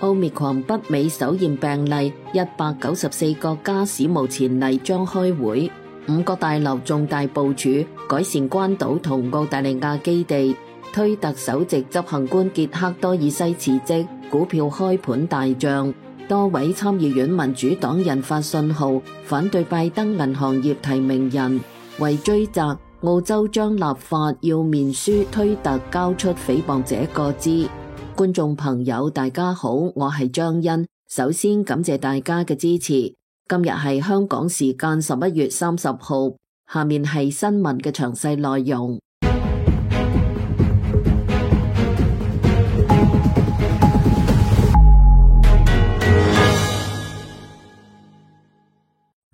Omicron 北美首現病例，194國家史無前例將開會，5個大樓重大部署，改善關島同澳大利亞基地。推特首席執行官傑克多爾西辭職，股票開盤大漲。多位參議院民主黨人發信號反對拜登銀行業提名人。為追責，澳洲將立法要面書推特交出誹謗者個資。觀眾朋友大家好，我係張欣，首先感謝大家嘅支持。今日係香港時間11月30號，下面係新聞嘅詳細內容。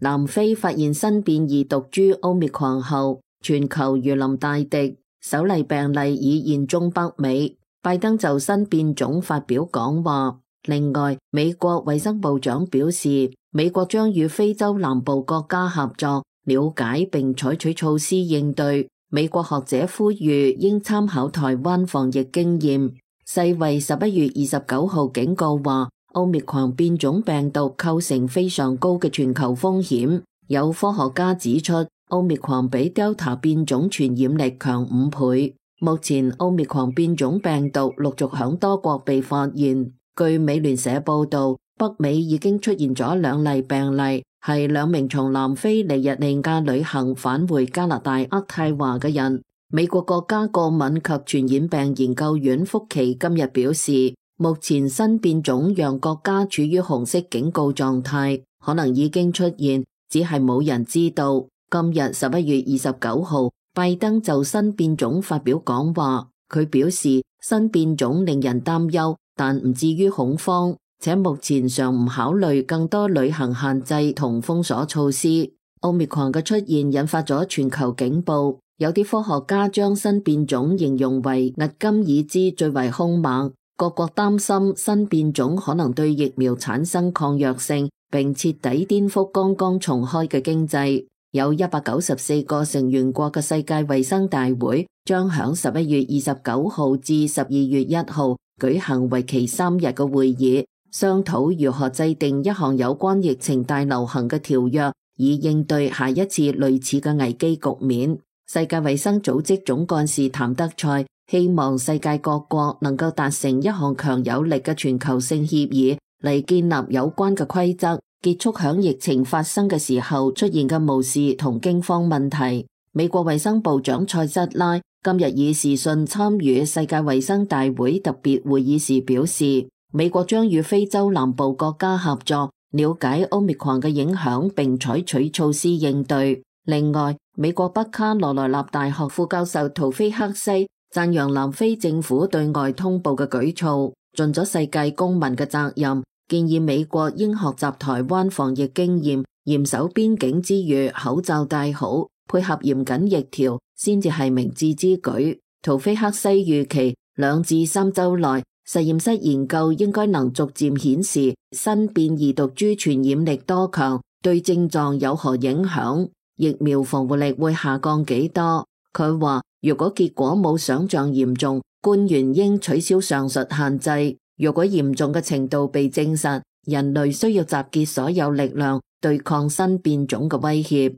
南非發現新變異毒株 Omicron 後，全球如臨大敵，首例病例已現蹤北美。拜登就新變種發表講話。另外，美國衛生部長表示，美國將與非洲南部國家合作，了解並採取措施應對。美國學者呼籲應參考台灣防疫經驗。世衛11月29號警告話，Omicron 變種病毒構成非常高嘅全球風險。有科學家指出，Omicron 比 Delta 變種傳染力強5倍。目前 Omicron 變種病毒陸續響多國被發現。據美聯社報道，北美已經出現咗2例病例，係2名從南非尼日利亞旅行返回加拿大渥太華嘅人。美國國家過敏及傳染病研究院福奇今日表示，目前新變種讓國家處於紅色警告狀態，可能已經出現，只係冇人知道。今日11月29號，拜登就新變種發表講話，佢表示新變種令人擔憂，但唔至於恐慌，且目前尚唔考慮更多旅行限制同封鎖措施。Omicron 嘅出現引發咗全球警報，有啲科學家將新變種形容為迄今已知最為兇猛。各國擔心新變種可能對疫苗產生抗藥性，並徹底顛覆剛剛重開嘅經濟。有194個成員國嘅世界衛生大會將響11月29號至12月1號舉行為期3日嘅會議，商討如何制定一項有關疫情大流行嘅條約，以應對下一次類似嘅危機局面。世界衛生組織總幹事譚德塞希望世界各國能夠達成一項強有力嘅全球性協議，嚟建立有關嘅規則，結束響疫情發生嘅時候出現嘅無視同驚慌問題。美國衛生部長塞瑟拉今日以視訊參與世界衛生大會特別會議時表示，美國將與非洲南部國家合作，了解 Omicron 嘅影響並採取措施應對。另外，美國北卡羅來納大學副教授圖菲克西讚揚南非政府對外通報嘅舉措，盡咗世界公民嘅責任，建議美國應學習台灣防疫經驗，嚴守邊境之餘，口罩戴好，配合嚴謹疫條，先至係明智之舉。圖菲克西預期2至3週內，實驗室研究應該能逐漸顯示新變異毒株傳染力多強，對症狀有何影響，疫苗防護力會下降幾多。佢話，如果結果冇想象嚴重，官員應取消上述限制。如果嚴重嘅程度被證實，人類需要集結所有力量對抗新變種嘅威脅。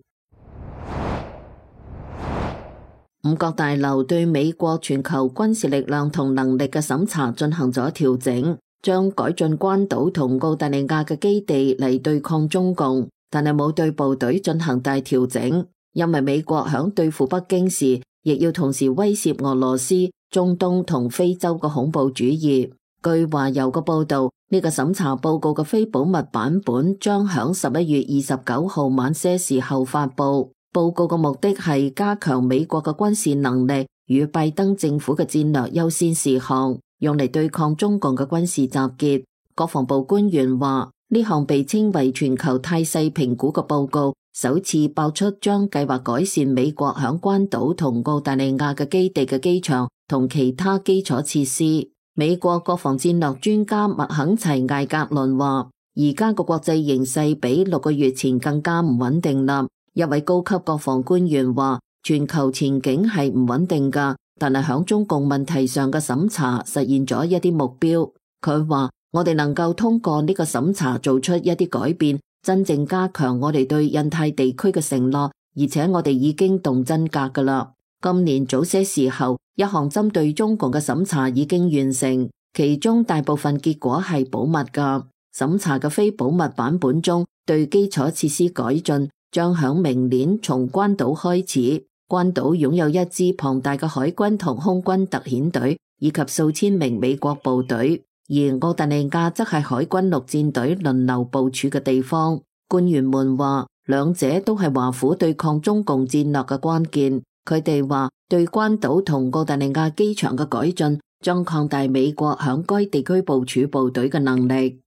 5角大樓對美國全球軍事力量同能力嘅審查進行咗調整，將改進關島同澳大利亞嘅基地嚟對抗中共，但係冇對部隊進行大調整，因為美國響對付北京時，亦要同時威懾俄羅斯、中東同非洲嘅恐怖主義。據華郵嘅報道，呢個審查報告嘅非保密版本將響11月29號晚些時候發布。報告嘅目的係加強美國嘅軍事能力與拜登政府嘅戰略優先事項，用嚟對抗中共嘅軍事集結。國防部官員話，呢項被稱為全球態勢評估嘅報告，首次爆出將計劃改善美國響關島同澳大利亞嘅基地嘅機場同其他基礎設施。美國國防戰略專家麥肯齊艾格倫話，而家個國際形勢比6個月前更加唔穩定啦。一位高級國防官員話，全球前景係唔穩定㗎，但係響中共問題上嘅審查實現咗一啲目標。佢話，我哋能夠通過呢個審查做出一啲改變，真正加強我哋對印太地區嘅承諾，而且我哋已經動真格㗎啦。今年早些時候，一項針對中共嘅審查已經完成，其中大部分結果係保密㗎。審查嘅非保密版本中，對基礎設施改進將響明年從關島開始。關島擁有一支龐大嘅海軍同空軍特遣隊，以及數千名美國部隊，而澳大利亞則係海軍陸戰隊輪流部署嘅地方。官員們話，兩者都係華府對抗中共戰略嘅關鍵。佢哋話，對關島同澳大利亞機場嘅改進將擴大美國響該地區部署部隊嘅能力。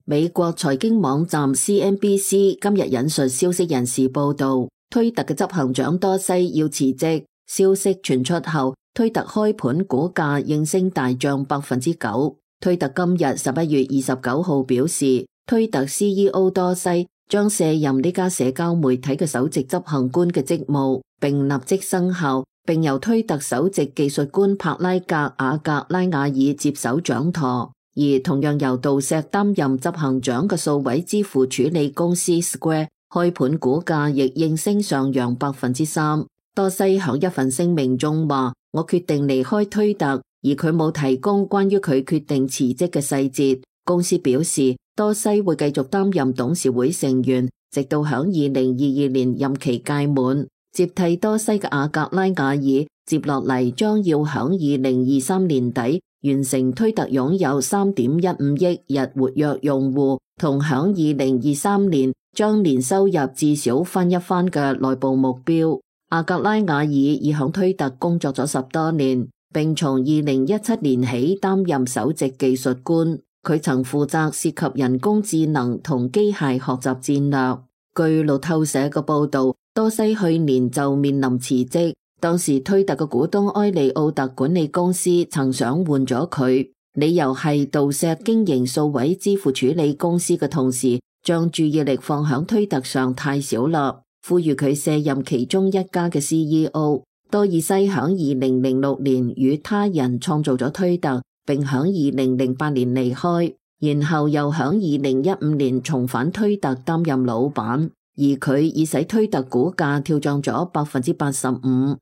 美國財經網站 CNBC 今日引述消息人士報道，推特嘅執行長多西要辭職。消息傳出後，推特開盤股價應聲大漲9%。推特今日11月29號表示，推特 CEO 多西將卸任呢家社交媒體嘅首席執行官嘅職務，並立即生效，並由推特首席技術官帕拉格瓦格拉瓦爾接手掌舵。而同樣由杜石擔任執行長嘅數位支付處理公司 Square 開盤股價亦應聲上揚3%。多西響一份聲明中話：我決定離開推特，而佢冇提供關於佢決定辭職嘅細節。公司表示，多西會繼續擔任董事會成員，直到響2022年任期屆滿。接替多西嘅阿格拉瓦爾接落嚟將要響2023年底完成推特擁有3.15億日活躍用戶，同響2023年將年收入至少翻一番嘅內部目標。阿格拉瓦爾已響推特工作咗10多年，並從2017年起擔任首席技術官。佢曾負責涉及人工智能同機械學習戰略。據路透社嘅報道，多西去年就面臨辭職。當時推特嘅股東埃利奧特管理公司曾想換咗佢，理由係杜石經營數位支付處理公司嘅同時，將注意力放響推特上太少啦，呼籲佢卸任其中一家嘅 CEO。多爾西響2006年與他人創造咗推特，並響2008年離開，然後又響2015年重返推特擔任老闆，而佢已使推特股價跳漲咗85%。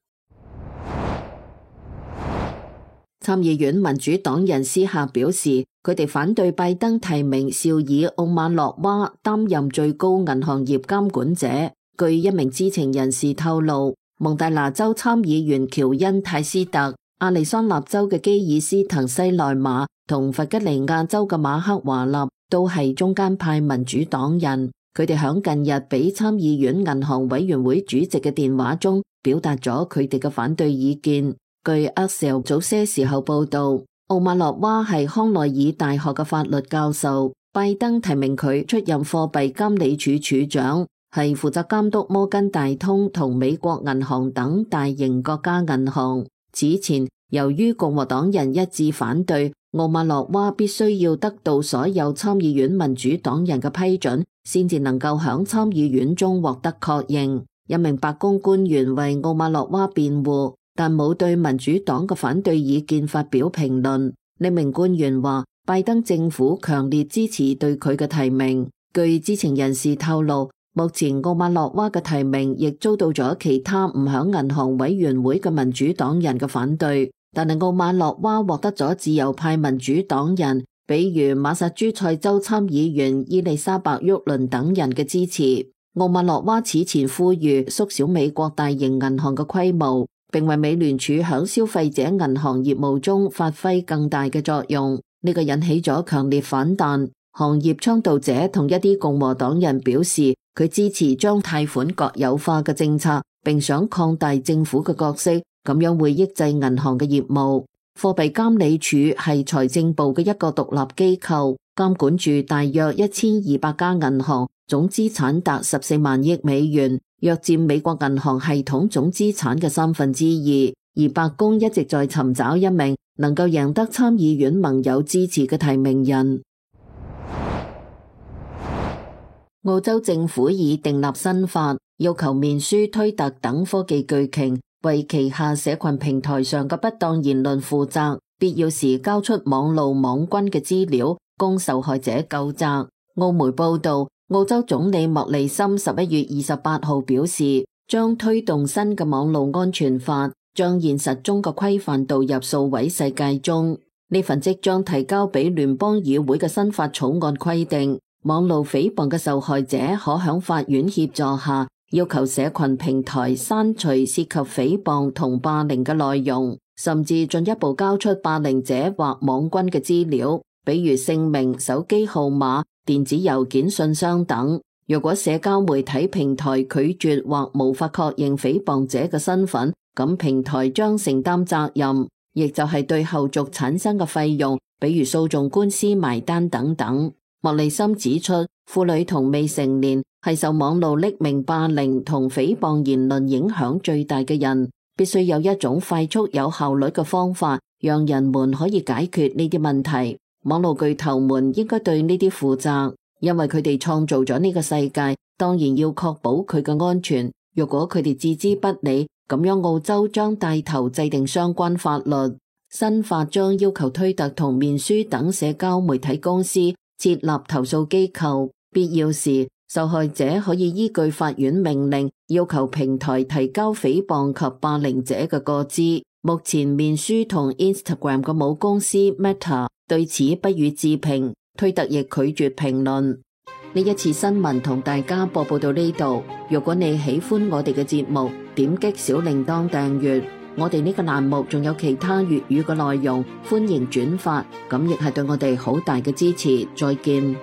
參議院民主黨人私下表示，佢哋反對拜登提名紹爾奧馬諾娃擔任最高銀行業監管者。據一名知情人士透露，蒙大拿州參議員喬恩泰斯特、亞利桑那州嘅基爾斯滕西內馬同弗吉尼亞州嘅馬克華納都係中間派民主黨人。佢哋響近日俾參議院銀行委員會主席嘅電話中表達咗佢哋嘅反對意見。據 Axios 早些時候報道，奧馬諾娃係康奈爾大學嘅法律教授，拜登提名佢出任貨幣監理處處長，係負責監督摩根大通同美國銀行等大型國家銀行。此前，由於共和黨人一致反對，奧馬諾娃必須要得到所有參議院民主黨人嘅批准，先至能夠響參議院中獲得確認。一名白宮官員為奧馬諾娃辯護，但冇對民主黨嘅反對意見發表評論。呢名官員話，拜登政府強烈支持對佢嘅提名。據知情人士透露，目前奧馬諾娃嘅提名亦遭到咗其他唔響銀行委員會嘅民主黨人嘅反對，但係奧馬諾娃獲得咗自由派民主黨人，比如馬薩諸塞州參議員伊麗莎白沃倫等人嘅支持。奧馬諾娃此前呼籲縮小美國大型銀行嘅規模，並為美聯儲響消費者銀行業務中發揮更大嘅作用，呢個引起咗強烈反彈。行業倡導者同一啲共和黨人表示，佢支持將貸款國有化嘅政策，並想擴大政府嘅角色，咁樣會抑制銀行嘅業務。貨幣監理處係財政部嘅一個獨立機構，監管住大約1200家銀行，總資產達14萬億美元，約佔美國銀行系統總資產嘅2/3。而白宮一直在尋找一名能夠贏得參議院盟友支持嘅提名人。澳洲政府已訂立新法，要求面書、推特等科技巨擎為旗下社群平台上嘅不當言論負責。必要時交出網路網軍嘅資料，供受害者究責。澳媒報道，澳洲總理莫里森11月28號表示，將推動新嘅網路安全法，將現實中嘅規範導入數位世界中。呢份即將提交俾聯邦議會嘅新法草案規定，網路誹謗嘅受害者可響法院協助下，要求社群平台刪除涉及誹謗同霸凌嘅內容，甚至進一步交出霸凌者或網軍嘅資料，比如姓名、手機號碼、電子郵件信箱等。若果社交媒體平台拒絕或無法確認誹謗者嘅身份，咁平台將承擔責任，亦就係對後續產生嘅費用，比如訴訟官司埋單等等。莫里森指出，婦女同未成年係受網路匿名霸凌同誹謗言論影響最大嘅人，必須有一種快速有效率嘅方法，讓人們可以解決呢啲問題。網絡巨頭們應該對呢啲負責，因為佢哋創造咗呢個世界，當然要確保佢嘅安全。如果佢哋置之不理，咁樣澳洲將帶頭制定相關法律。新法將要求推特同面書等社交媒體公司設立投訴機構，必要時受害者可以依據法院命令要求平台提交誹謗及霸凌者嘅個資。目前面書同 Instagram 嘅母公司 Meta 對此不予置評，推特亦拒絕評論。呢一次新聞同大家播報到呢度。如果你喜歡我哋嘅節目，點擊小鈴鐺訂閱。我哋呢個欄目仲有其他粵語嘅內容，歡迎轉發，咁亦係對我哋好大嘅支持。再見。